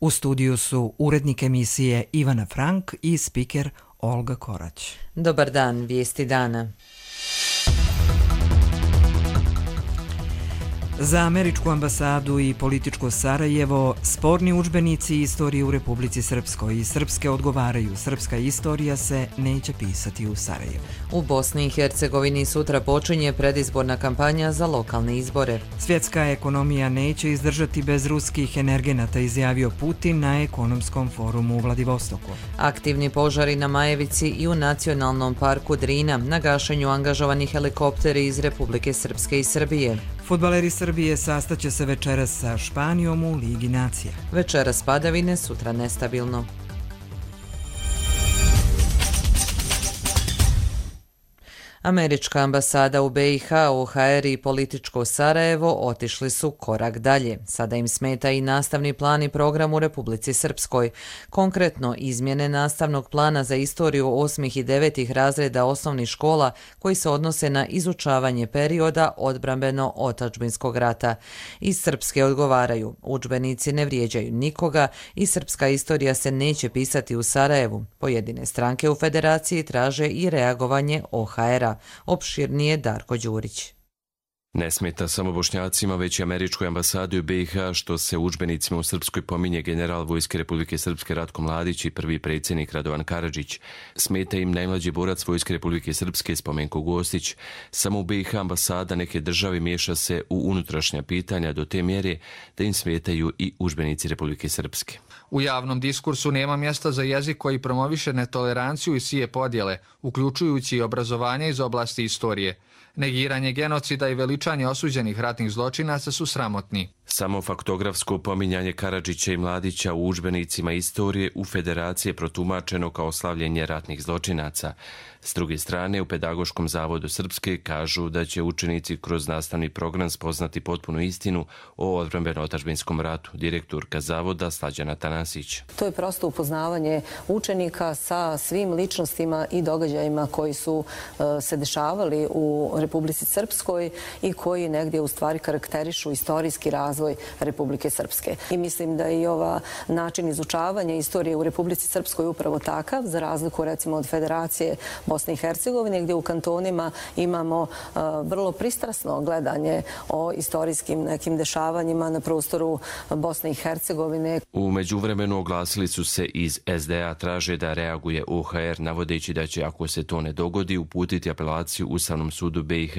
U studiju su urednik emisije Ivana Frank i spiker Olga Korać. Dobar dan, vijesti dana. Za američku ambasadu i političko Sarajevo sporni udžbenici istorije u Republici Srpskoj i srpske odgovaraju. Srpska istorija se neće pisati u Sarajevu. U Bosni i Hercegovini sutra počinje predizborna kampanja za lokalne izbore. Svjetska ekonomija neće izdržati bez ruskih energenata, izjavio Putin na ekonomskom forumu u Vladivostoku. Aktivni požari na Majevici i u Nacionalnom parku Drina, na gašenju angažovani helikopteri iz Republike Srpske i Srbije. Fudbaleri Srbije sastaće se večeras sa Španijom u Ligi nacija. Večeras padavine, sutra nestabilno. Američka ambasada u BiH, OHR i političko Sarajevo otišli su korak dalje. Sada im smeta i nastavni plan i program u Republici Srpskoj. Konkretno, izmjene nastavnog plana za istoriju 8. i 9. razreda osnovnih škola koji se odnose na izučavanje perioda odbrambeno-otadžbinskog rata. Iz Srpske odgovaraju, udžbenici ne vrijeđaju nikoga i srpska istorija se neće pisati u Sarajevu. Pojedine stranke u federaciji traže i reagovanje OHR-a. Opširnije Darko Đurić. Ne smeta samo Bošnjacima, već i američkoj ambasadi u BiH što se u udžbenicima u Srpskoj pominje general Vojske Republike Srpske Ratko Mladić i prvi predsjednik Radovan Karadžić. Smeta im najmlađi borac Vojske Republike Srpske Spomenko Gostić. Samo u BiH ambasada neke države miješa se u unutrašnja pitanja do te mjere da im smetaju i udžbenici Republike Srpske. U javnom diskursu nema mjesta za jezik koji promoviše netoleranciju i sije podjele, uključujući i obrazovanje iz oblasti istorije. Negiranje genocida i veličanje osuđenih ratnih zločinaca su sramotni. Samo faktografsko pominjanje Karadžića i Mladića u udžbenicima istorije u Federaciji je protumačeno kao slavljenje ratnih zločinaca. S druge strane, u Pedagoškom zavodu Srpske kažu da će učenici kroz nastavni program spoznati potpunu istinu o odbrambeno-otadžbinskom ratu. Direktorka zavoda Slađana Tanasić. To je prosto upoznavanje učenika sa svim ličnostima i događajima koji su se dešavali u Republici Srpskoj i koji negdje u stvari karakterišu istorijski razvoj Republike Srpske. I mislim da je i ova način izučavanja istorije u Republici Srpskoj upravo takav, za razliku recimo od Federacije Bosne i Hercegovine, gdje u kantonima imamo vrlo pristrasno gledanje o istorijskim nekim dešavanjima na prostoru Bosne i Hercegovine. U međuvremenu oglasili su se iz SDA, traže da reaguje OHR, navodeći da će, ako se to ne dogodi, uputiti apelaciju Ustavnom sudu BiH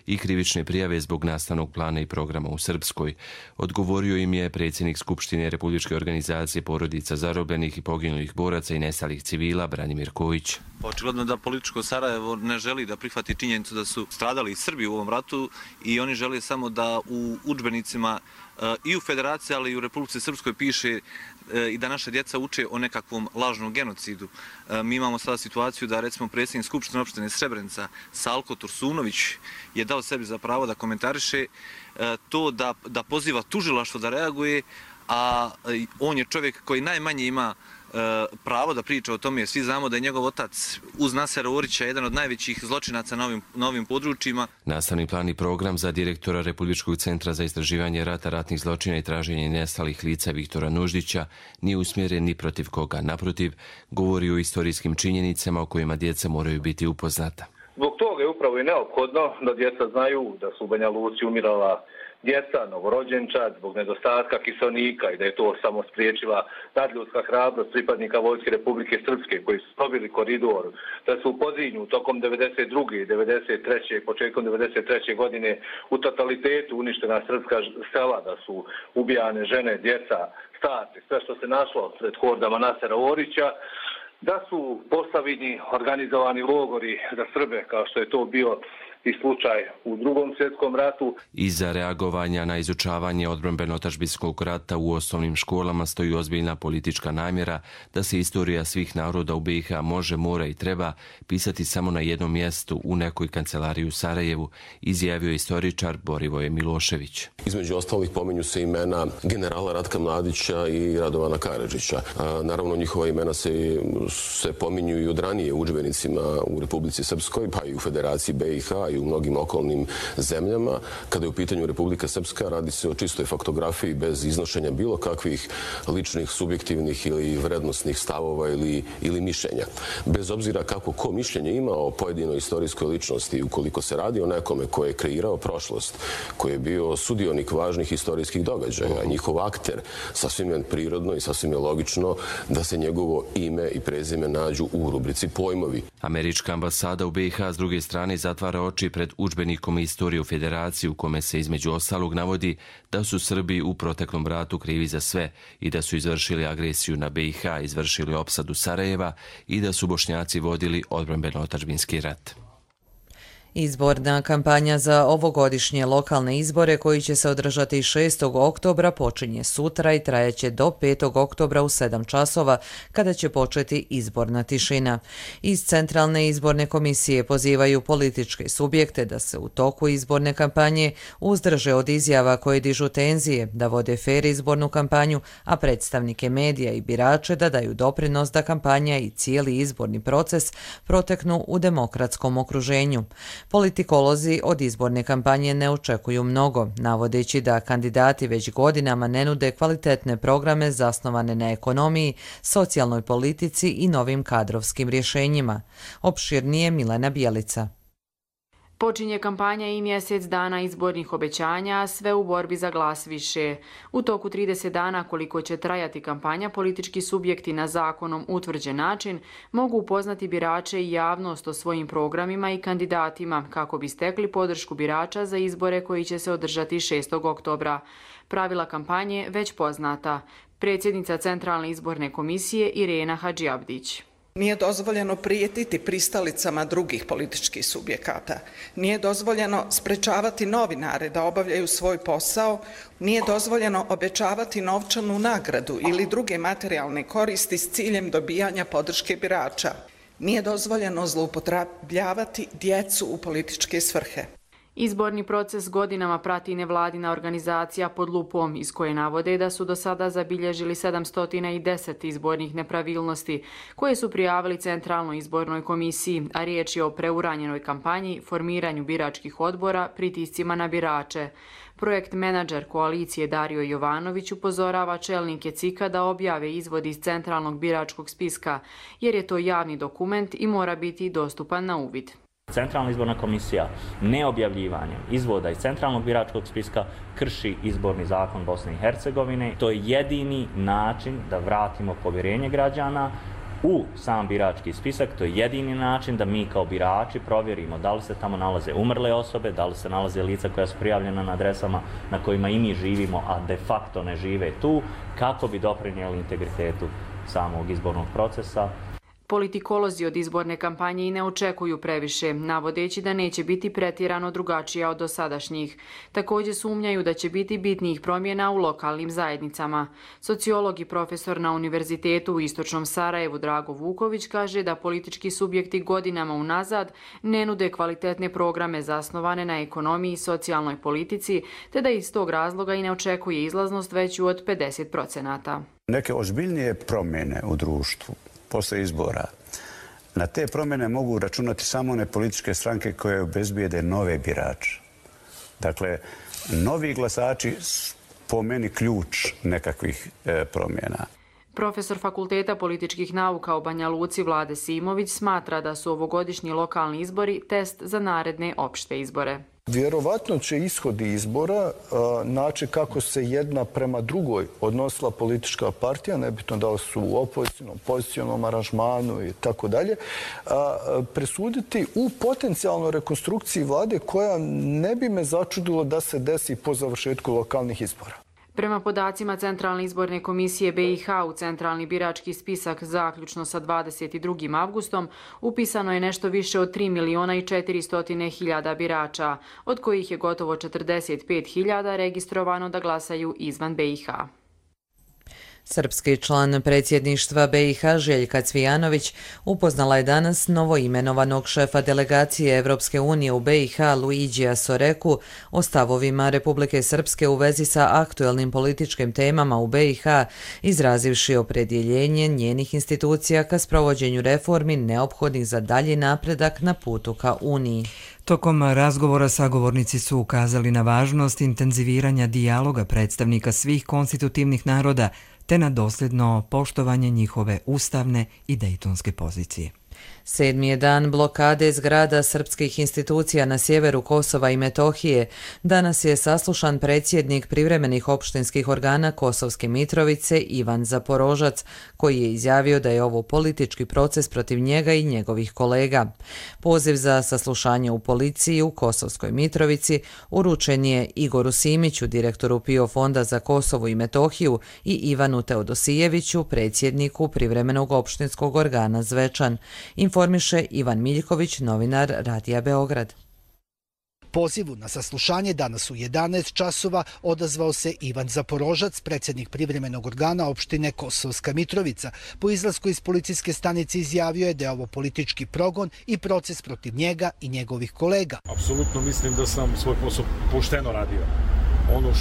i krivične prijave zbog nastavnog plana i programa u Srpskoj. Odgovorio im je predsjednik Skupštine Republičke organizacije porodica zarobljenih i poginulih boraca i nestalih civila Branimir Kojić. Očigledno da političko Sarajevo ne želi da prihvati činjenicu da su stradali i Srbi u ovom ratu i oni žele samo da u udžbenicima i u Federaciji, ali i u Republici Srpskoj piše i da naša djeca uče o nekakvom lažnom genocidu. Mi imamo sada situaciju da recimo predsjednik Skupštine opštine Srebrenica Salko Tursunović je dao sebi za pravo da komentariše to da poziva tužilaštvo da reaguje, a on je čovjek koji najmanje ima pravo da priča o tome. Svi znamo da je njegov otac uz Nasera Orića jedan od najvećih zločinaca na ovim područjima. Nastavni plan i program za direktora Republičkog centra za istraživanje rata, ratnih zločina i traženje nestalih lica Viktora Nuždića nije usmjeren ni protiv koga. Naprotiv, govori o istorijskim činjenicama o kojima djeca moraju biti upoznata. Zbog toga je upravo i neophodno da djeca znaju da su u Banja Luci umirala djeca, novorođenčad, zbog nedostatka kiselnika i da je to samo spriječila nadljudska hrabrost pripadnika Vojske Republike Srpske koji su probili koridor, da su u Podrinju tokom 92. i 93. i početkom 93. godine u totalitetu uništena srpska sela, da su ubijane žene, djeca, starci, sve što se našlo pred hordama Nasera Orića, da su postavljeni organizovani logori za Srbe, kao što je to bio i slučaj u Drugom svjetskom ratu. Iza reagovanja na izučavanje odbrambeno-otadžbinskog rata u osnovnim školama stoji ozbiljna politička namjera da se istorija svih naroda u BiH može, mora i treba pisati samo na jednom mjestu u nekoj kancelariji u Sarajevu, izjavio istoričar Borivoje Milošević. Između ostalih pominju se imena generala Ratka Mladića i Radovana Karadžića. Naravno, njihova imena se pominju i od ranije u udžbenicima u Republici Srpskoj, pa i u Federaciji BiH i u mnogim okolnim zemljama. Kada je u pitanju Republika Srpska, radi se o čistoj faktografiji bez iznošenja bilo kakvih ličnih, subjektivnih ili vrednosnih stavova ili mišljenja. Bez obzira kako ko mišljenje ima o pojedinoj istorijskoj ličnosti, ukoliko se radi o nekome koji je kreirao prošlost, koji je bio sudionik važnih istorijskih događaja, njihov akter, sasvim je prirodno i sasvim je logično da se njegovo ime i prezime nađu u rubrici pojmovi. Američka ambasada u BiH s druge strane zatvara oči pred udžbenikom istorije u Federaciji u kome se između ostalog navodi da su Srbi u proteklom ratu krivi za sve i da su izvršili agresiju na BiH, izvršili opsadu Sarajeva i da su Bošnjaci vodili odbrambeno-otadžbinski rat. Izborna kampanja za ovogodišnje lokalne izbore koji će se održati 6. oktobra počinje sutra i trajeće do 5. oktobra u 7 časova kada će početi izborna tišina. Iz Centralne izborne komisije pozivaju političke subjekte da se u toku izborne kampanje uzdrže od izjava koje dižu tenzije, da vode fer izbornu kampanju, a predstavnike medija i birače da daju doprinos da kampanja i cijeli izborni proces proteknu u demokratskom okruženju. Politikolozi od izborne kampanje ne očekuju mnogo, navodeći da kandidati već godinama ne nude kvalitetne programe zasnovane na ekonomiji, socijalnoj politici i novim kadrovskim rješenjima. Opširnije Milena Bijelica. Počinje kampanja i mjesec dana izbornih obećanja, a sve u borbi za glas više. U toku 30 dana koliko će trajati kampanja, politički subjekti na zakonom utvrđen način mogu upoznati birače i javnost o svojim programima i kandidatima kako bi stekli podršku birača za izbore koji će se održati 6. oktobra. Pravila kampanje već poznata. Predsjednica Centralne izborne komisije Irena Hadžiabdić. Nije dozvoljeno prijetiti pristalicama drugih političkih subjekata. Nije dozvoljeno sprečavati novinare da obavljaju svoj posao. Nije dozvoljeno obećavati novčanu nagradu ili druge materijalne koristi s ciljem dobijanja podrške birača. Nije dozvoljeno zloupotrebljavati djecu u političke svrhe. Izborni proces godinama prati nevladina organizacija Pod lupom, iz koje navode da su do sada zabilježili 710 izbornih nepravilnosti, koje su prijavili Centralnoj izbornoj komisiji, a riječ je o preuranjenoj kampanji, formiranju biračkih odbora, pritiscima na birače. Projekt menadžer koalicije Dario Jovanović upozorava čelnike CIK-a da objave izvod iz Centralnog biračkog spiska, jer je to javni dokument i mora biti dostupan na uvid. Centralna izborna komisija neobjavljivanjem izvoda iz Centralnog biračkog spiska krši izborni zakon Bosne i Hercegovine. To je jedini način da vratimo povjerenje građana u sam birački spisak. To je jedini način da mi kao birači provjerimo da li se tamo nalaze umrle osobe, da li se nalaze lica koja su prijavljena na adresama na kojima i mi živimo, a de facto ne žive tu, kako bi doprinijeli integritetu samog izbornog procesa. Politikolozi od izborne kampanje i ne očekuju previše, navodeći da neće biti pretjerano drugačija od dosadašnjih. Također sumnjaju da će biti bitnijih promjena u lokalnim zajednicama. Sociolog i profesor na Univerzitetu u Istočnom Sarajevu Drago Vuković kaže da politički subjekti godinama unazad ne nude kvalitetne programe zasnovane na ekonomiji i socijalnoj politici, te da iz tog razloga i ne očekuje izlaznost veću od 50%. Neke ozbiljnije promjene u društvu posle izbora. Na te promjene mogu računati samo one političke stranke koje obezbijede nove birače. Dakle, novi glasači po meni ključ nekakvih promjena. Profesor Fakulteta političkih nauka u Banja Luci Vlade Simović smatra da su ovogodišnji lokalni izbori test za naredne opšte izbore. Vjerovatno će ishodi izbora naći kako se jedna prema drugoj odnosila politička partija, nebitno da li su u opozicionom, pozicionom aranžmanu i tako dalje, presuditi u potencijalnoj rekonstrukciji vlade koja ne bi me začudilo da se desi po završetku lokalnih izbora. Prema podacima Centralne izborne komisije BiH u Centralni birački spisak zaključno sa 22. avgustom upisano je nešto više od 3.400.000 birača, od kojih je gotovo 45.000 registrovano da glasaju izvan BiH. Srpski član predsjedništva BiH Željka Cvijanović upoznala je danas novoimenovanog šefa delegacije Evropske unije u BiH Luigija Soreku o stavovima Republike Srpske u vezi sa aktuelnim političkim temama u BiH, izrazivši opredjeljenje njenih institucija ka sprovođenju reformi neophodnih za dalji napredak na putu ka Uniji. Tokom razgovora sagovornici su ukazali na važnost intenziviranja dijaloga predstavnika svih konstitutivnih naroda te na dosljedno poštovanje njihove ustavne i dejtonske pozicije. 7. je dan blokade zgrada srpskih institucija na sjeveru Kosova i Metohije. Danas je saslušan predsjednik privremenih opštinskih organa Kosovske Mitrovice Ivan Zaporožac, koji je izjavio da je ovo politički proces protiv njega i njegovih kolega. Poziv za saslušanje u policiji u Kosovskoj Mitrovici uručen je Igoru Simiću, direktoru PIO fonda za Kosovo i Metohiju, i Ivanu Teodosijeviću, predsjedniku privremenog opštinskog organa Zvečan. Informiše Ivan Miljković, novinar Radija Beograd. Pozivu na saslušanje danas u 11 časova odazvao se Ivan Zaporožac, predsjednik privremenog organa opštine Kosovska Mitrovica. Po izlasku iz policijske stanice izjavio je da je ovo politički progon i proces protiv njega i njegovih kolega. Apsolutno mislim da sam svoj posao pošteno radio. Ono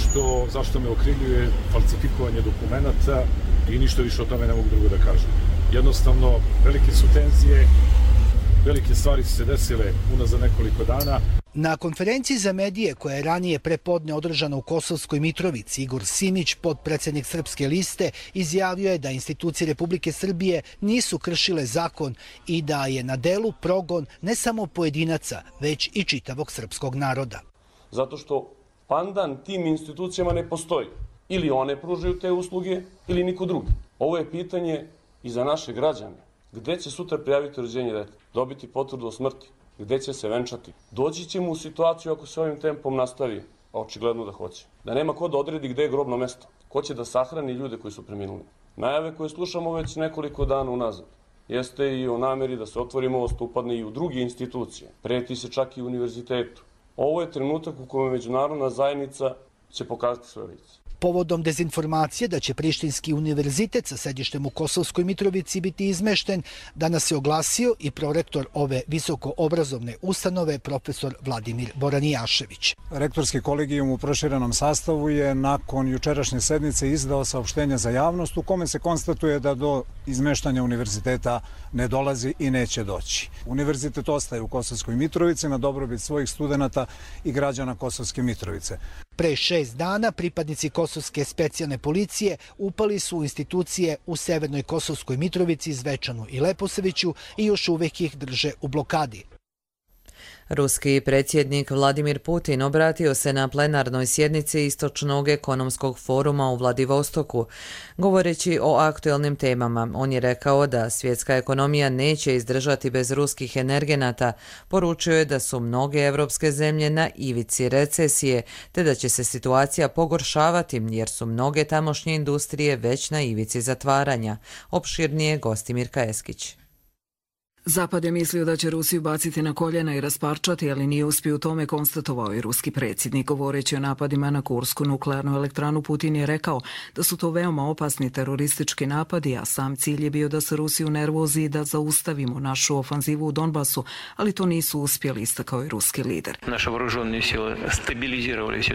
zašto me okrivljuje je falsifikovanje dokumenata i ništa više o tome ne mogu drugo da kažem. Jednostavno, velike su tenzije, velike stvari su se desile unazad nekoliko dana. Na konferenciji za medije koja je ranije prepodne održana u Kosovskoj Mitrovici, Igor Simić, potpredsjednik Srpske liste, izjavio je da institucije Republike Srbije nisu kršile zakon i da je na delu progon ne samo pojedinaca, već i čitavog srpskog naroda. Zato što pandan tim institucijama ne postoji. Ili one pružaju te usluge, ili niko drugi. Ovo je pitanje i za naše građane. Gde će sutra prijaviti rođenje deteta? Dobiti potvrdu o smrti? Gde će se venčati? Doći ćemo u situaciju ako se ovim tempom nastavi, a očigledno da hoće. Da nema ko da odredi gde je grobno mesto. Ko će da sahrani ljude koji su preminuli. Najave koje slušamo već nekoliko dana unazad jeste i o nameri da se otvori most, upadne i u druge institucije. Preti se čak i u univerzitetu. Ovo je trenutak u kojem međunarodna zajednica će pokazati svoje lice. Povodom dezinformacije da će Prištinski univerzitet sa sedištem u Kosovskoj Mitrovici biti izmešten, danas se oglasio i prorektor ove visokoobrazovne ustanove, profesor Vladimir Boranijašević. Rektorski kolegijum u proširenom sastavu je nakon jučerašnje sednice izdao saopštenje za javnost u kome se konstatuje da do izmeštanja univerziteta ne dolazi i neće doći. Univerzitet ostaje u Kosovskoj Mitrovici na dobrobit svojih studenata i građana Kosovske Mitrovice. Pre 6 dana pripadnici Kosovske specijalne policije upali su u institucije u Severnoj Kosovskoj Mitrovici, Zvečanu i Leposaviću i još uvijek ih drže u blokadi. Ruski predsjednik Vladimir Putin obratio se na plenarnoj sjednici Istočnog ekonomskog foruma u Vladivostoku. Govoreći o aktuelnim temama, on je rekao da svjetska ekonomija neće izdržati bez ruskih energenata. Poručio je da su mnoge evropske zemlje na ivici recesije, te da će se situacija pogoršavati jer su mnoge tamošnje industrije već na ivici zatvaranja. Opširnije Gostimirka Eskić. Zapad je mislio da će Rusiju baciti na koljena i rasparčati, ali nije uspio u tome, konstatovao je ruski predsjednik. Govoreći o napadima na Kursku nuklearnu elektranu, Putin je rekao da su to veoma opasni teroristički napadi, a sam cilj je bio da se Rusiju nervozi i da zaustavimo našu ofanzivu u Donbasu, ali to nisu uspjeli, istakao je ruski lider.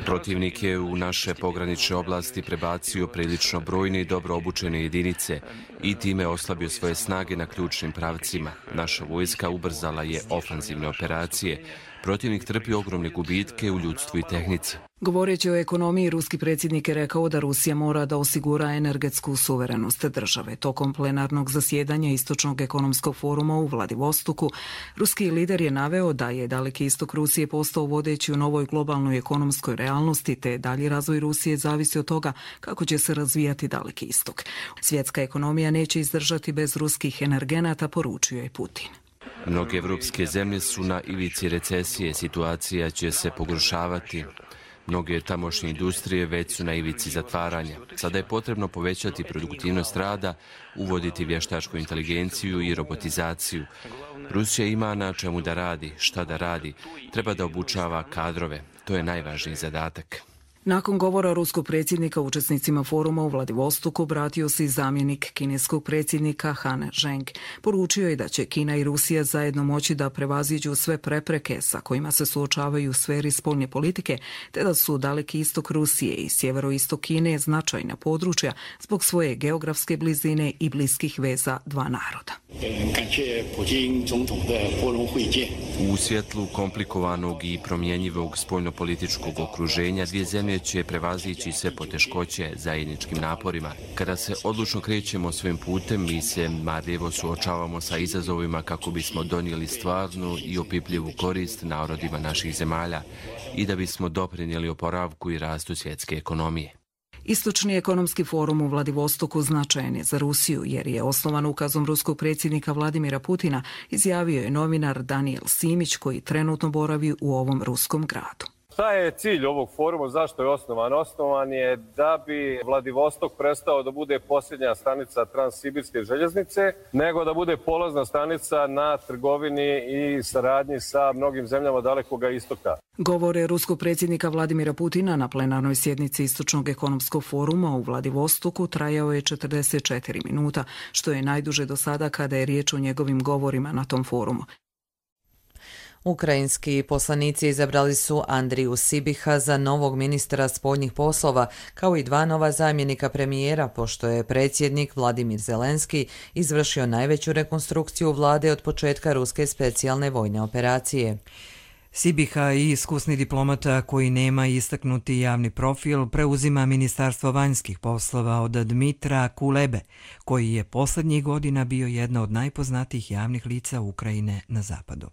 Protivnik je u naše pogranične oblasti prebacio prilično brojne i dobro obučene jedinice i time oslabio svoje snage na ključnim pravcima. Naša vojska ubrzala je ofanzivne operacije. Protivnik trpi ogromne gubitke u ljudstvu i tehnici. Govoreći o ekonomiji, ruski predsjednik je rekao da Rusija mora da osigura energetsku suverenost države. Tokom plenarnog zasjedanja Istočnog ekonomskog foruma u Vladivostoku, ruski lider je naveo da je Daleki istok Rusije postao vodeći u novoj globalnoj ekonomskoj realnosti, te dalji razvoj Rusije zavisi od toga kako će se razvijati Daleki istok. Svjetska ekonomija neće izdržati bez ruskih energenata, poručio je Putin. Mnoge evropske zemlje su na ivici recesije, situacija će se pogoršavati. Mnoge tamošnje industrije već su na ivici zatvaranja. Sada je potrebno povećati produktivnost rada, uvoditi vještačku inteligenciju i robotizaciju. Rusija ima na čemu da radi, šta da radi. Treba da obučava kadrove. To je najvažniji zadatak. Nakon govora ruskog predsjednika učesnicima foruma u Vladivostoku vratio se i zamjenik kineskog predsjednika Han Zheng. Poručio je da će Kina i Rusija zajedno moći da prevaziđu sve prepreke sa kojima se suočavaju u sferi spoljne politike, te da su Daleki istok Rusije i sjeveroistok Kine značajna područja zbog svoje geografske blizine i bliskih veza dva naroda. U svjetlu komplikovanog i promjenjivog spoljnopolitičkog okruženja dvije zemlje će prevazići sve poteškoće zajedničkim naporima. Kada se odlučno krećemo svojim putem, mi se marljivo suočavamo sa izazovima kako bismo donijeli stvarnu i opipljivu korist narodima naših zemalja i da bismo doprinijeli oporavku i rastu svjetske ekonomije. Istočni ekonomski forum u Vladivostoku značajan je za Rusiju jer je osnovan ukazom ruskog predsjednika Vladimira Putina, izjavio je novinar Daniel Simić koji trenutno boravi u ovom ruskom gradu. Šta je cilj ovog foruma? Zašto je osnovan? Osnovan je da bi Vladivostok prestao da bude posljednja stanica Transsibirske željeznice, nego da bude polazna stanica na trgovini i saradnji sa mnogim zemljama Dalekog istoka. Govore ruskog predsjednika Vladimira Putina na plenarnoj sjednici Istočnog ekonomskog foruma u Vladivostoku trajao je 44 minuta, što je najduže do sada kada je riječ o njegovim govorima na tom forumu. Ukrajinski poslanici izabrali su Andriju Sibiha za novog ministra spoljnih poslova, kao i dva nova zamjenika premijera, pošto je predsjednik Vladimir Zelenski izvršio najveću rekonstrukciju vlade od početka ruske specijalne vojne operacije. Sibiha i iskusni diplomata koji nema istaknuti javni profil preuzima Ministarstvo vanjskih poslova od Dmitra Kulebe, koji je posljednjih godina bio jedna od najpoznatijih javnih lica Ukrajine na zapadu.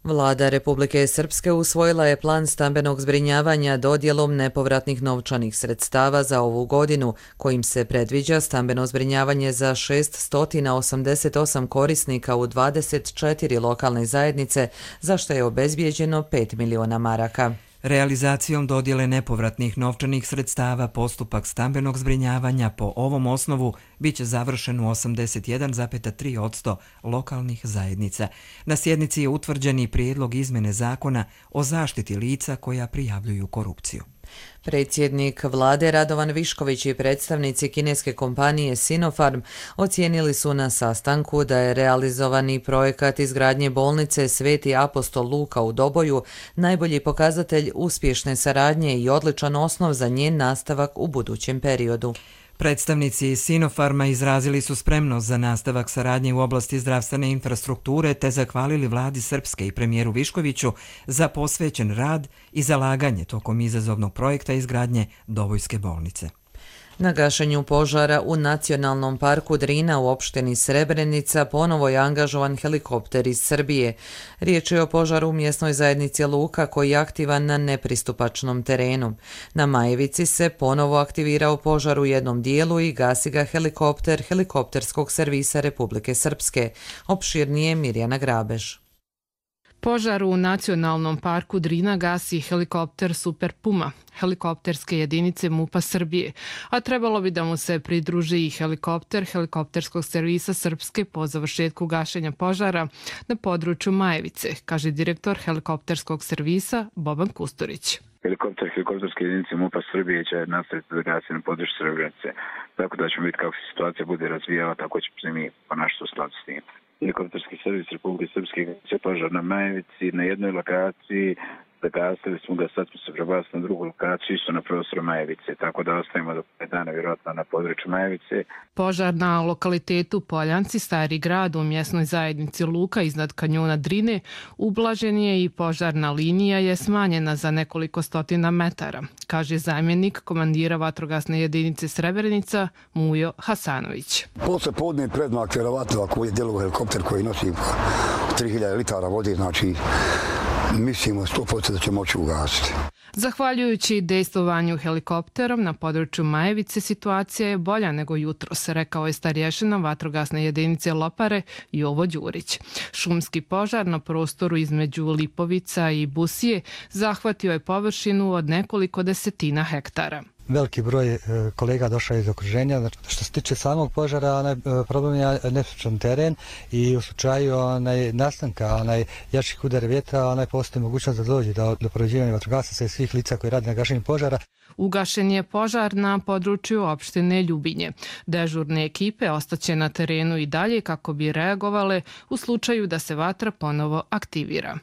Vlada Republike Srpske usvojila je plan stambenog zbrinjavanja dodjelom nepovratnih novčanih sredstava za ovu godinu, kojim se predviđa stambeno zbrinjavanje za 688 korisnika u 24 lokalne zajednice, za što je obezbijeđeno 5 miliona maraka. Realizacijom dodjele nepovratnih novčanih sredstava postupak stambenog zbrinjavanja po ovom osnovu biće završen u 81,3% lokalnih zajednica. Na sjednici je utvrđen i prijedlog izmjene zakona o zaštiti lica koja prijavljuju korupciju. Predsjednik vlade Radovan Višković i predstavnici kineske kompanije Sinopharm ocijenili su na sastanku da je realizovani projekat izgradnje bolnice Sveti apostol Luka u Doboju najbolji pokazatelj uspješne saradnje i odličan osnov za njen nastavak u budućem periodu. Predstavnici Sinopharma izrazili su spremnost za nastavak saradnje u oblasti zdravstvene infrastrukture te zahvalili vladi Srpske i premijeru Viškoviću za posvećen rad i zalaganje tokom izazovnog projekta izgradnje Dobojske bolnice. Na gašenju požara u Nacionalnom parku Drina u opštini Srebrenica ponovo je angažovan helikopter iz Srbije. Riječ je o požaru u mjesnoj zajednici Luka koji je aktivan na nepristupačnom terenu. Na Majevici se ponovo aktivirao požar u jednom dijelu i gasi ga helikopter helikopterskog servisa Republike Srpske. Opširnije Mirjana Grabež. Požar u Nacionalnom parku Drina gasi helikopter Super Puma, helikopterske jedinice MUP-a Srbije, a trebalo bi da mu se pridruži i helikopter helikopterskog servisa Srpske po završetku gašenja požara na području Majevice, kaže direktor helikopterskog servisa Boban Kusturić. Helikopter helikopterske jedinice MUP-a Srbije će nastaviti da gasi na području Srebrenice, tako da ćemo vidjeti kako se situacija bude razvijala, tako ćemo se mi ponašati u skladu s tim. Helikopterski servis Republike Srpske je požar na Majevici, na jednoj lokaciji, zagasili smo ga, sad smo se prebacili na drugu lokaciju, isto na prostoru Majevice, tako da ostavimo do 5 dana vjerojatno na području Majevice. Požar na lokalitetu Poljanci, Stari grad u mjesnoj zajednici Luka iznad kanjona Drine, ublažen je i požarna linija je smanjena za nekoliko stotina metara, kaže zamjenik komandira vatrogasne jedinice Srebrenica Mujo Hasanović. Posle podne predmak vjerovatno ako je djelovo helikopter koji nosi 3000 litara vode, znači mislimo 100% da će moći ugasiti. Zahvaljujući dejstvovanju helikopterom na području Majevice, situacija je bolja nego jutros, rekao je starješina vatrogasne jedinice Lopare Jovo Đurić. Šumski požar na prostoru između Lipovica i Busije zahvatio je površinu od nekoliko desetina hektara. veliki broj kolega došao iz okruženja. Što se tiče samog požara, problem je nestručan teren i u slučaju nastanka jačih udara vjetra postoji mogućnost da dođe do prođivanja vatrogasaca i svih lica koji rade na gašenju požara. Ugašen je požar na području opštine Ljubinje. Dežurne ekipe ostaće na terenu i dalje kako bi reagovale u slučaju da se vatra ponovo aktivira.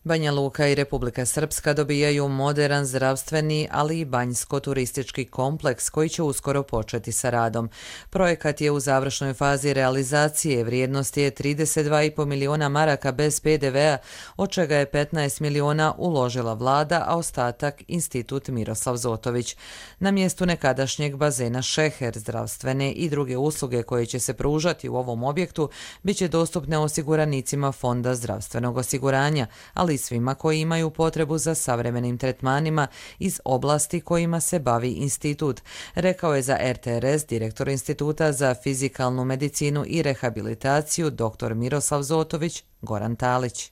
Banja Luka i Republika Srpska dobijaju modern zdravstveni, ali i banjsko-turistički kompleks koji će uskoro početi sa radom. Projekat je u završnoj fazi realizacije, vrijednost je 32,5 miliona maraka bez PDV-a, od čega je 15 miliona uložila vlada, a ostatak Institut Miroslav Zotović. Na mjestu nekadašnjeg bazena Šeher, zdravstvene i druge usluge koje će se pružati u ovom objektu bit će dostupne osiguranicima Fonda zdravstvenog osiguranja, ali i svima koji imaju potrebu za savremenim tretmanima iz oblasti kojima se bavi institut, rekao je za RTRS direktor Instituta za fizikalnu medicinu i rehabilitaciju dr. Miroslav Zotović, Goran Talić.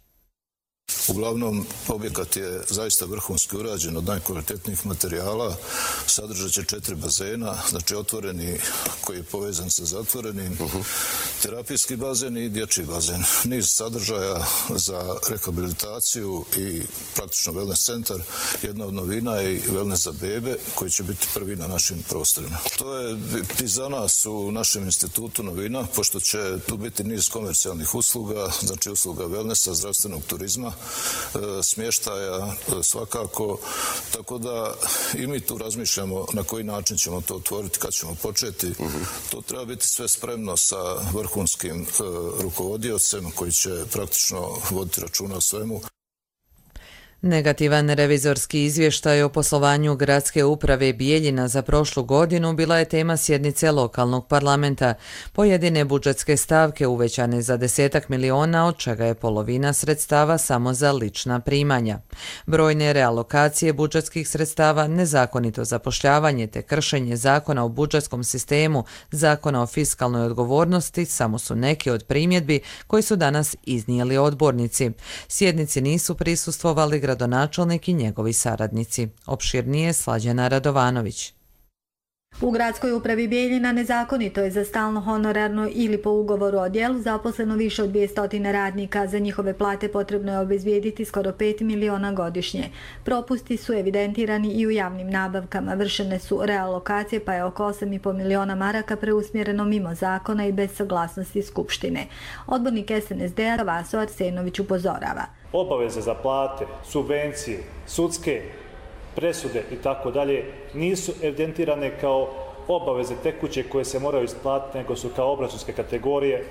Uglavnom, objekat je zaista vrhunski urađen od najkvalitetnijih materijala, sadržat će 4 bazena, znači otvoreni koji je povezan sa zatvorenim, terapijski bazen i dječji bazen. Niz sadržaja za rehabilitaciju i praktično wellness centar. Jedna od novina je i wellness za bebe koji će biti prvi na našim prostorima. To je i za nas u našem institutu novina, pošto će tu biti niz komercijalnih usluga, znači usluga wellnessa, zdravstvenog turizma, smještaja svakako, tako da i mi tu razmišljamo na koji način ćemo to otvoriti, kad ćemo početi. To treba biti sve spremno sa vrhunskim rukovodiocem koji će praktično voditi računa o svemu. Negativan revizorski izvještaj o poslovanju Gradske uprave Bijeljina za prošlu godinu bila je tema sjednice lokalnog parlamenta. Pojedine budžetske stavke uvećane za 10 miliona, od čega je polovina sredstava samo za lična primanja. Brojne realokacije budžetskih sredstava, nezakonito zapošljavanje te kršenje zakona o budžetskom sistemu, zakona o fiskalnoj odgovornosti samo su neke od primjedbi koji su danas iznijeli odbornici. Sjednici nisu prisustvovali gradonačelnik i njegovi saradnici. Opširnije Slađana Radovanović. U Gradskoj upravi Bijeljina nezakonito je za stalno honorarno ili po ugovoru o djelu zaposleno više od 200 radnika. Za njihove plate potrebno je obezbijediti skoro 5 miliona godišnje. Propusti su evidentirani i u javnim nabavkama. Vršene su realokacije pa je oko 8,5 miliona maraka preusmjereno mimo zakona i bez saglasnosti Skupštine. Odbornik SNSD-a Vaso Arsenović upozorava. Obaveze za plate, subvencije, sudske presude i tako dalje nisu evidentirane kao obaveze tekuće koje se moraju isplatiti, nego su kao obračunske kategorije.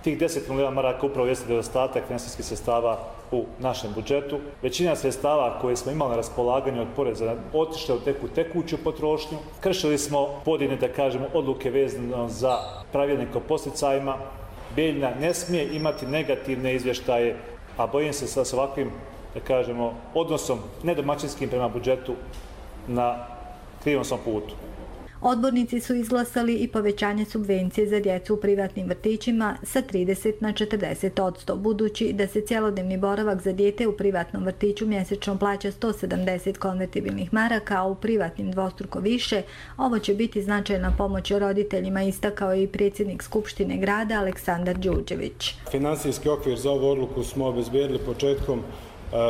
Tih 10 miliona maraka upravo jeste nedostatak finansijskih sredstava u našem budžetu. Većina sredstava koje smo imali na raspolaganju od poreza otišle u tekuću potrošnju. Kršili smo pojedine, da kažemo, odluke vezano za pravilnik o podsticajima. Bijeljina ne smije imati negativne izvještaje, a bojim se sa ovakvim, da kažemo, odnosom nedomaćinskim prema budžetu na krivom svom putu. Odbornici su izglasali i povećanje subvencije za djecu u privatnim vrtićima sa 30 na 40%, budući da se cjelodnevni boravak za dijete u privatnom vrtiću mjesečno plaća 170 konvertibilnih maraka, a u privatnim dvostruko više. Ovo će biti značajna pomoć roditeljima, istakao je i predsjednik Skupštine grada Aleksandar Đurđević. Finansijski okvir za ovu odluku smo obezbijedili početkom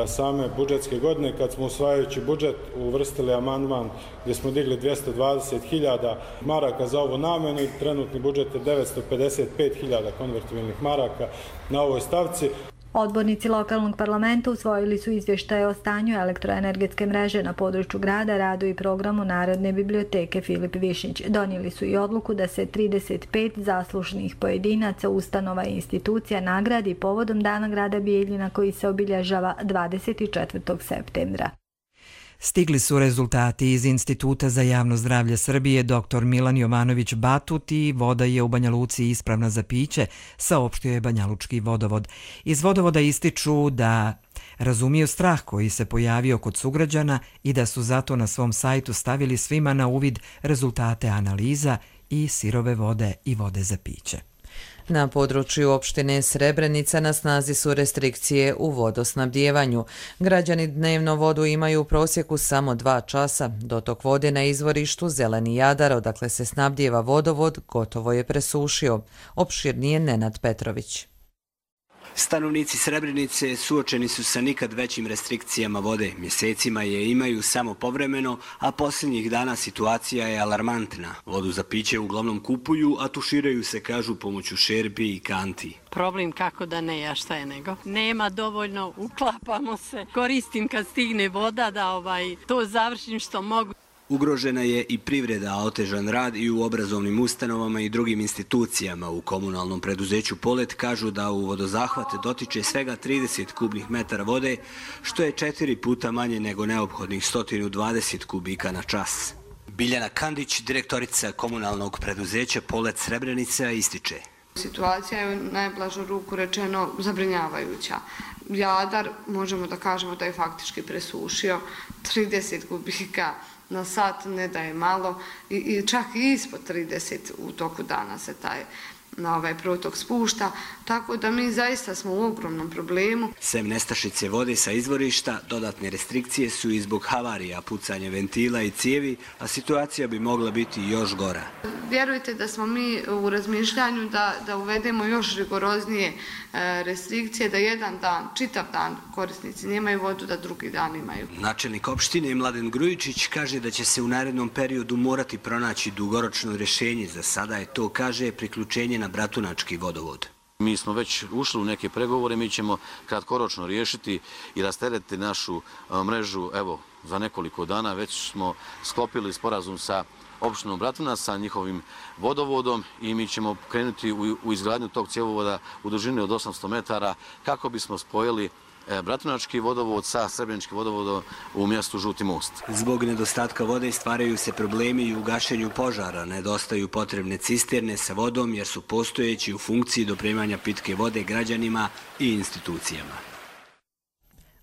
same budžetske godine, kad smo usvajajući budžet uvrstili amandman gdje smo digli 220.000 maraka za ovu namjenu i trenutni budžet je 955.000 konvertibilnih maraka na ovoj stavci. Odbornici lokalnog parlamenta usvojili su izvještaje o stanju elektroenergetske mreže na području grada, radu i programu Narodne biblioteke Filip Višnjić. Donijeli su i odluku da se 35 zaslužnih pojedinaca, ustanova i institucija nagradi povodom Dana grada Bijeljina koji se obilježava 24. septembra. Stigli su rezultati iz Instituta za javno zdravlje Srbije. Dr. Milan Jovanović Batut i voda je u Banja Luci ispravna za piće, saopštio je Banjalučki vodovod. Iz vodovoda ističu da razumiju strah koji se pojavio kod sugrađana i da su zato na svom sajtu stavili svima na uvid rezultate analiza i sirove vode i vode za piće. Na području opštine Srebrenica na snazi su restrikcije u vodosnabdijevanju. Građani dnevno vodu imaju u prosjeku samo 2 časa. Dotok vode na izvorištu Zeleni Jadar, odakle se snabdijeva vodovod, gotovo je presušio. Opširnije Nenad Petrović. Stanovnici Srebrenice suočeni su sa nikad većim restrikcijama vode. Mjesecima je imaju samo povremeno, a posljednjih dana situacija je alarmantna. Vodu za piće uglavnom kupuju, a tuširaju se, kažu, pomoću šerpi i kanti. Problem kako da ne, a šta je nego. Nema dovoljno, uklapamo se. Koristim kad stigne voda da to završim što mogu. Ugrožena je i privreda, a otežan rad i u obrazovnim ustanovama i drugim institucijama. U komunalnom preduzeću Polet kažu da u vodozahvate dotiče svega 30 kubnih metara vode, što je 4 puta manje nego neophodnih 120 kubika na čas. Biljana Kandić, direktorica komunalnog preduzeća Polet Srebrenica, ističe. Situacija je u najblažu ruku rečeno zabrinjavajuća. Jadar, možemo da kažemo da je faktički presušio 30 kubika na sat, ne da je malo, i čak i ispod 30 u toku dana se taj protok spušta, tako da mi zaista smo u ogromnom problemu. Sem nestašice vode sa izvorišta, dodatne restrikcije su i zbog havarija, pucanja ventila i cijevi, a situacija bi mogla biti još gora. Vjerujte da smo mi u razmišljanju da uvedemo još rigoroznije restrikcije, da jedan dan, čitav dan korisnici nemaju vodu, da drugi dan imaju. Načelnik opštine Mladen Grujičić kaže da će se u narednom periodu morati pronaći dugoročno rješenje. Za sada je to, kaže, priključenje na Bratunački vodovod. Mi smo već ušli u neke pregovore, mi ćemo kratkoročno riješiti i rasteretiti našu mrežu. Evo, za nekoliko dana već smo sklopili sporazum sa opštinom Bratunac, sa njihovim vodovodom, i mi ćemo krenuti u izgradnju tog cjevovoda u dužini od 800 metara kako bismo spojili Bratunački vodovod sa Srebreničkim vodovodom u mjestu Žuti most. Zbog nedostatka vode stvaraju se problemi i u gašenju požara. Nedostaju potrebne cisterne sa vodom jer su postojeći u funkciji dopremanja pitke vode građanima i institucijama.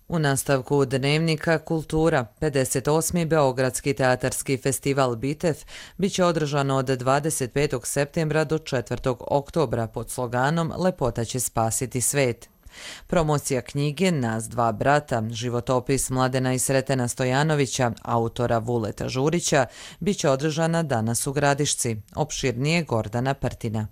U nastavku Dnevnika kultura, 58. Beogradski teatarski festival Bitev biće održano od 25. septembra do 4. oktobra pod sloganom Lepota će spasiti svet. Promocija knjige Nas dva brata, životopis Mladena i Sretena Stojanovića, autora Vuleta Žurića, biće održana danas u Gradišci. Opširnije Gordana Prtina.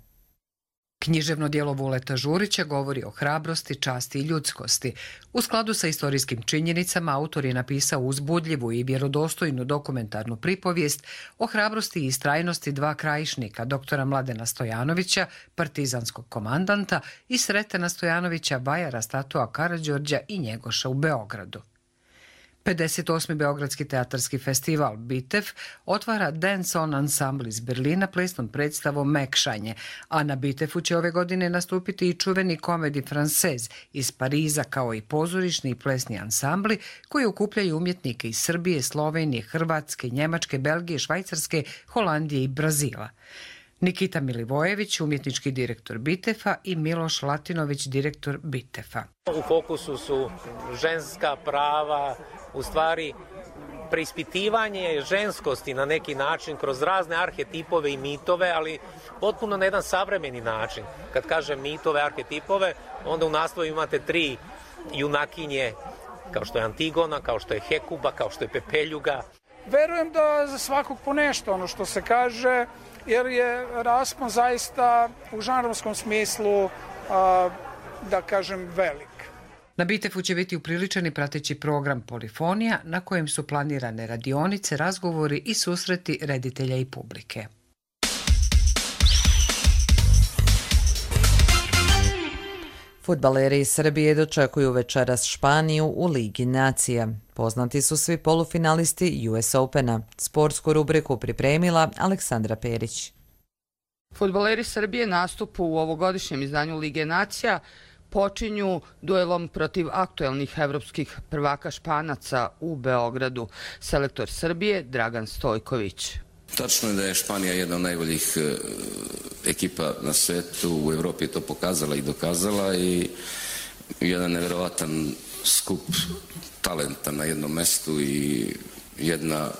Književno djelo Vuleta Žurića govori o hrabrosti, časti i ljudskosti. U skladu sa istorijskim činjenicama, autor je napisao uzbudljivu i vjerodostojnu dokumentarnu pripovijest o hrabrosti i istrajnosti dva krajišnika, doktora Mladena Stojanovića, partizanskog komandanta, i Sretena Stojanovića, vajara statua Karađorđa i Njegoša u Beogradu. 58. Beogradski teatarski festival Bitev otvara Dance On ansambl iz Berlina plesnom predstavom Mekšanje, a na Bitevu će ove godine nastupiti i čuveni Komedi Francez iz Pariza, kao i pozorišni i plesni ansambli koji okupljaju umjetnike iz Srbije, Slovenije, Hrvatske, Njemačke, Belgije, Švajcarske, Holandije i Brazila. Nikita Milivojević, umjetnički direktor Bitefa, i Miloš Latinović, direktor Bitefa. U fokusu su ženska prava, u stvari preispitivanje ženskosti na neki način kroz razne arhetipove i mitove, ali potpuno na jedan savremeni način. Kad kažem mitove, arhetipove, onda u naslovu imate 3 junakinje, kao što je Antigona, kao što je Hekuba, kao što je Pepeljuga. Verujem da za svakog po nešto, ono što se kaže, jer je raspon zaista u žanrovskom smislu, da kažem, velik. Na Bitefu će biti upriličen i prateći program Polifonija, na kojem su planirane radionice, razgovori i susreti reditelja i publike. Fudbaleri iz Srbije dočekuju večeras Španiju u Ligi nacija. Poznati su svi polufinalisti US Opena. Sportsku rubriku pripremila Aleksandra Perić. Fudbaleri Srbije nastupu u ovogodišnjem izdanju Lige nacija počinju duelom protiv aktuelnih evropskih prvaka Španaca u Beogradu. Selektor Srbije Dragan Stojković. Tačno je da je Španija jedna od najboljih ekipa na svetu, u Evropi je to pokazala i dokazala, i jedan nevjerovatan skup talenta na jednom mestu i jedna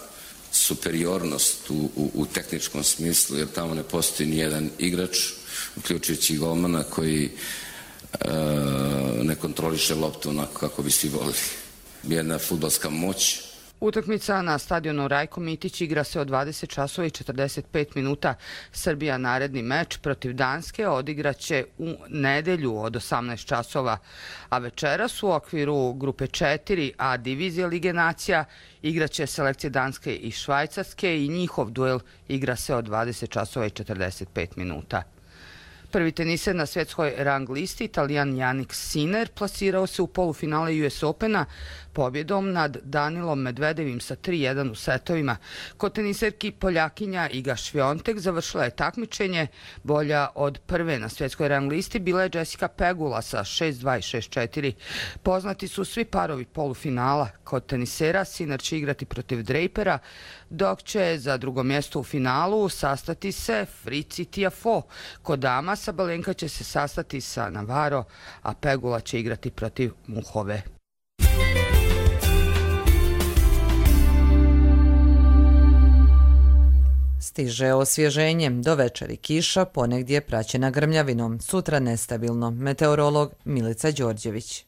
superiornost u tehničkom smislu, jer tamo ne postoji ni jedan igrač uključujući golmana koji ne kontroliše loptu onako kako bi svi volili. Jedna fudbalska moć. Utakmica na stadionu Rajko Mitić igra se od 20 časova i 45 minuta. Srbija naredni meč protiv Danske odigraće u nedelju od 18 časova, a večeras u okviru grupe 4 A divizije Lige nacija igraće selekcije Danske i Švajcarske i njihov duel igra se od 20 časova i 45 minuta. Prvi teniser na svjetskoj rang listi, Italijan Jannik Sinner, plasirao se u polufinale US Opena pobjedom nad Danilom Medvedevim sa 3-1 u setovima. Kod teniserki Poljakinja Iga Šviontek završila je takmičenje. Bolja od prve na svjetskoj rang listi bila je Jessica Pegula sa 6-2 i 6-4. Poznati su svi parovi polufinala. Kod tenisera Sinner će igrati protiv Drapera, dok će za drugo mjesto u finalu sastati se Fritz i Tiafoe. Kod dama Sabalenka će se sastati sa Navarro, a Pegula će igrati protiv Muhove. Stiže osvježenje, do večeri kiša, ponegdje praćena grmljavinom, sutra nestabilno. Meteorolog Milica Đorđević.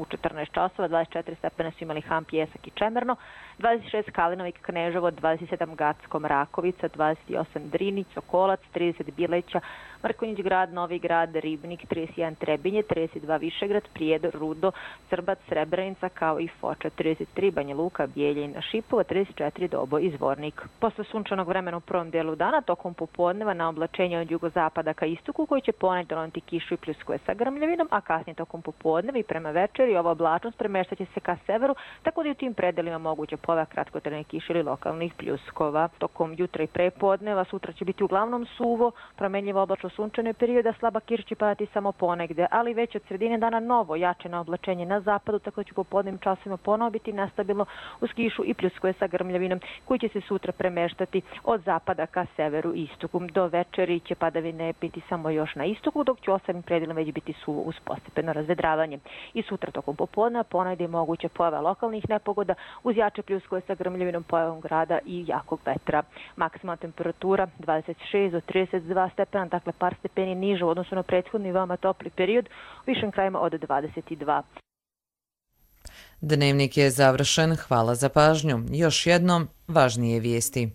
U 14 časova 24 stepena su imali Ham, Pjesak i Čemerno, 26 Kalinovik, Kneževo, 27 Gacko, Mrakovica, 28 Drinić, Sokolac, 30 Bileća, Mrkonjić grad, Novi grad, Ribnik, 31 Trebinje, 32 Višegrad, Prijedor, Rudo, Crbac, Srebrenica, kao i Foča, 33 Banja Luka, Bijeljina, Šipova, 34 Dobo i Zvornik. Posle sunčanog vremena u prvom dijelu dana, tokom popodneva na oblačenje od jugozapada ka istoku, koji će ponegdje doneti kišu i pljuskove sa grmljavinom, a kasnije tokom popodneva i prema večeri ova oblačnost premeštaće se ka severu, tako da i u tim predelima moguće pojava kratkotrajne kiše ili lokalnih pljuskova. Tokom jutra i prepodneva sutra će biti uglavnom suvo, promenljivo oblačno sunčane periode, slaba kiša će padati samo ponegde, ali već od sredine dana novo jačeno oblačenje na zapadu, tako da će popodnevnim časovima ponovo biti nestabilno uz kišu i pljuskove sa grmljavinom, koji će se sutra premeštati od zapada ka severu i istoku. Do večeri će padavine biti samo još na istoku, dok će u ostalim predelima već biti suvo uz postepeno razvedravanje. I sutra tokom popodneva ponegde je moguća pojava lokalnih nepogoda uz jače pljuskove sa grmljavinom, pojavom grada i jakog vetra. Maksimalna temperatura 26 do 32 stepena, dakle par stepeni niže u odnosu na prethodni veoma topli period, u višim krajima od 22. Dnevnik je završen, hvala za pažnju. Još jednom, važnije vijesti.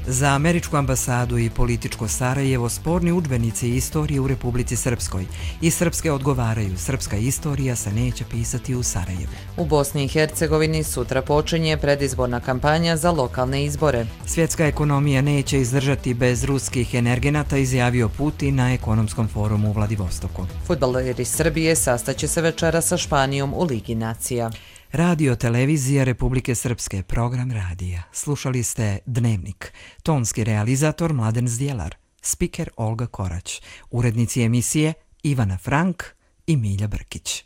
Za američku ambasadu i političko Sarajevo sporni udžbenici istorije u Republici Srpskoj. I srpske odgovaraju, srpska istorija se neće pisati u Sarajevu. U Bosni i Hercegovini sutra počinje predizborna kampanja za lokalne izbore. Svjetska ekonomija neće izdržati bez ruskih energenata, izjavio Putin na ekonomskom forumu u Vladivostoku. Fudbaleri Srbije sastaće se večera sa Španijom u Ligi nacija. Radio televizija Republike Srpske, program radija. Slušali ste Dnevnik. Tonski realizator Mladen Zdjelar, spiker Olga Korać, urednici emisije Ivana Frank i Milja Brkić.